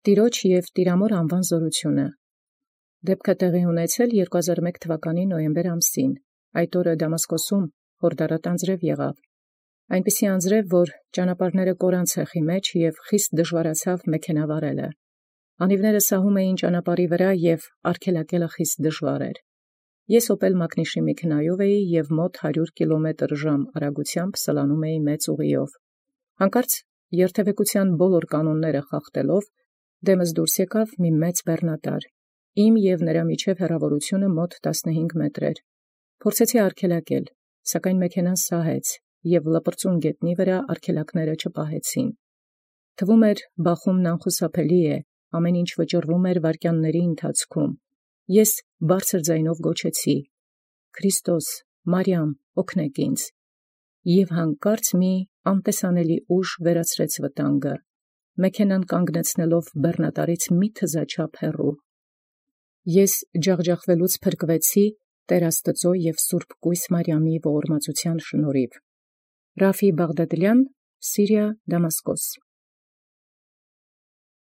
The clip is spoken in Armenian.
Տիրոջ և Տիրամոր անվան զորութիւնը։ Դեպքը տեղի ունեցել 2001 թվականի նոյեմբեր ամսին, այդ օրը Դամասկոսում խորհրդարատ անձրև եղավ, այնպիսի անձրև, որ ճանապարհները կորան ցեխի մեջ և խիստ դժվարացավ մեքենավարելը։ Անիվները սահում էին ճանապարհի վրա և արգելակելը խիստ դժվար էր։ Ես Օպել մակնիշի մեքենայով էի և մոտ 100 կմ/ժ արագութեամբ սլանում էի մեծ ուղիով։ Հանկարծ երթևեկութեան բոլոր կանոնները խախտելով, դեմս դուրս եկավ մի մեծ բեռնատար, իմ և նրա միջև հեռավորությունը մոտ 15 մետր էր։ Փորձեցի արգելակել, սակայն մեքենան սահեց, և լպրծուն գետնի վրա արգելակները չպահեցին։ Թվում էր բախումն անխուսափելի է, ամեն ինչ վճռվում էր վայրկյանների ընթացքում։ Ես բարձր ձայնով գոչեցի. «Քրիստոս, Մարիամ, օգնեք ինձ»։ Եւ հանկարծ մի անտեսանելի ուժ վերացրեց վտանգը, մեքենան կանգնեցնելով բեռնատարից մի թզաչափ հեռու։ Ես ջախջախվելուց փրկվեցի Տեր Աստուծոյ և Սուրբ Կույս Մարիամի ողորմածության շնորհիվ։ Ռաֆի Բաղդադլյան, Սիրիա, Դամասկոս։